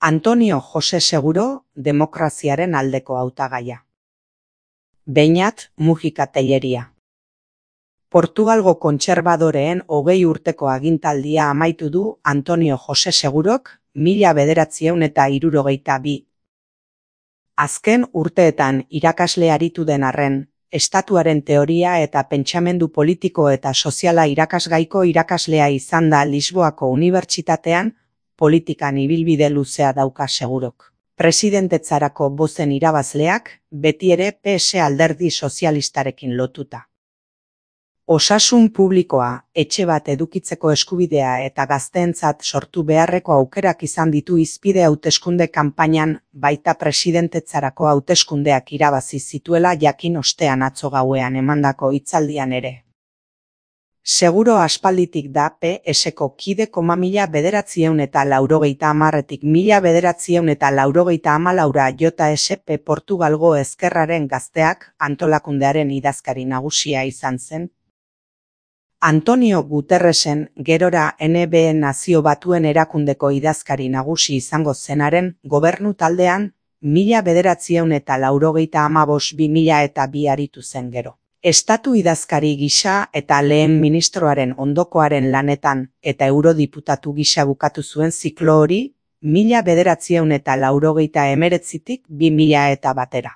Antonio Jose Seguro, demokraziaren aldeko hautagaia. Beñat Mujika Telleria. Portugalgo kontserbadoreen 20 urteko agintaldia amaitu du Antonio Jose Segurok 1962. Azken urteetan irakasle aritu den arren, estatuaren teoria eta pentsamendu politiko eta soziala irakasgaiko irakaslea izan da Lisboako Unibertsitatean, politikan ibilbide luzea dauka Segurok. Presidentetzarako bozen irabazleak, betiere PS alderdi sozialistarekin lotuta. Osasun publikoa, etxe bat edukitzeko eskubidea eta gazteentzat sortu beharreko aukerak izan ditu hizpide hauteskunde kanpainan, baita presidentetzarako hauteskundeak irabazi zituela jakin ostean atzo gauean emandako hitzaldian ere. Seguro aspalditik da PSko kide 1980etik 1984 JSP Portugalgo Ezkerraren Gazteak antolakundearen idazkari nagusia izan zen. Antonio Guterresen gerora NB Nazio Batuen Erakundeko idazkari nagusi izango zenaren gobernu taldean 1985-2002 aritu zen gero. Estatu idazkari gisa eta lehen ministroaren ondokoaren lanetan eta eurodiputatu gisa bukatu zuen ziklo hori 1989-tik 2001.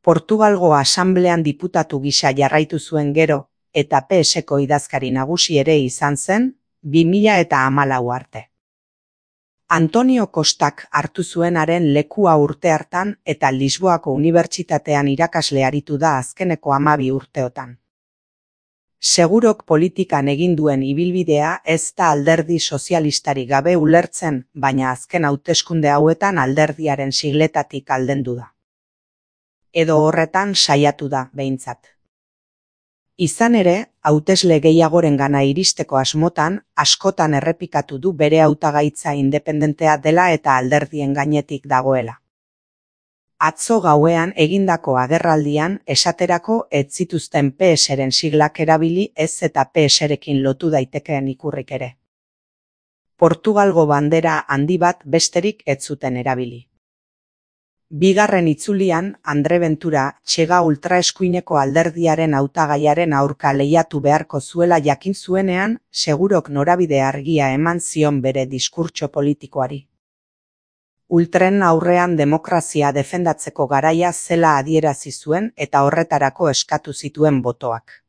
Portugalgo Asamblean diputatu gisa jarraitu zuen gero eta PSko idazkari nagusi ere izan zen 2014 arte. Antonio Costak hartu zuenaren lekua urte hartan eta Lisboako Unibertsitatean irakasle aritu da azkeneko 12 urteotan. Segurok politikan egin duen ibilbidea ez da alderdi sozialistari gabe ulertzen, baina azken hauteskunde hauetan alderdiaren sigletatik aldendu da. Edo horretan saiatu da, behintzat. Izan ere, hautesle gehiagorengana iristeko asmotan, askotan errepikatu du bere hautagaitza independentea dela eta alderdien gainetik dagoela. Atzo gauean egindako agerraldian esaterako ez zituzten PSren siglak erabili ez eta PSrekin lotu daitekeen ikurrik ere. Portugalgo bandera handi bat besterik ez zuten erabili. Bigarren itzulian, Andre Ventura, Txega ultraeskuineko alderdiaren hautagaiaren aurka lehiatu beharko zuela jakin zuenean, Segurok norabide argia eman zion bere diskurtso politikoari. Ultren aurrean demokrazia defendatzeko garaia zela adierazi zuen eta horretarako eskatu zituen botoak.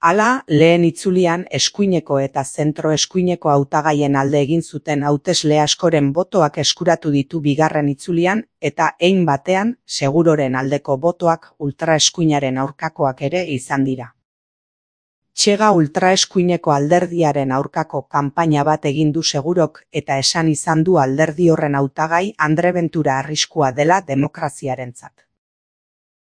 Hala, lehen itzulian eskuineko eta zentro-eskuineko hautagaien alde egin zuten hautesle askoren botoak eskuratu ditu bigarren itzulian eta hein batean Seguroren aldeko botoak ultraeskuinaren aurkakoak ere izan dira. Txega ultraeskuineko alderdiaren aurkako kanpaina bat egin du Segurok eta esan izan du alderdi horren hautagai Andre Ventura arriskua dela demokraziarentzat.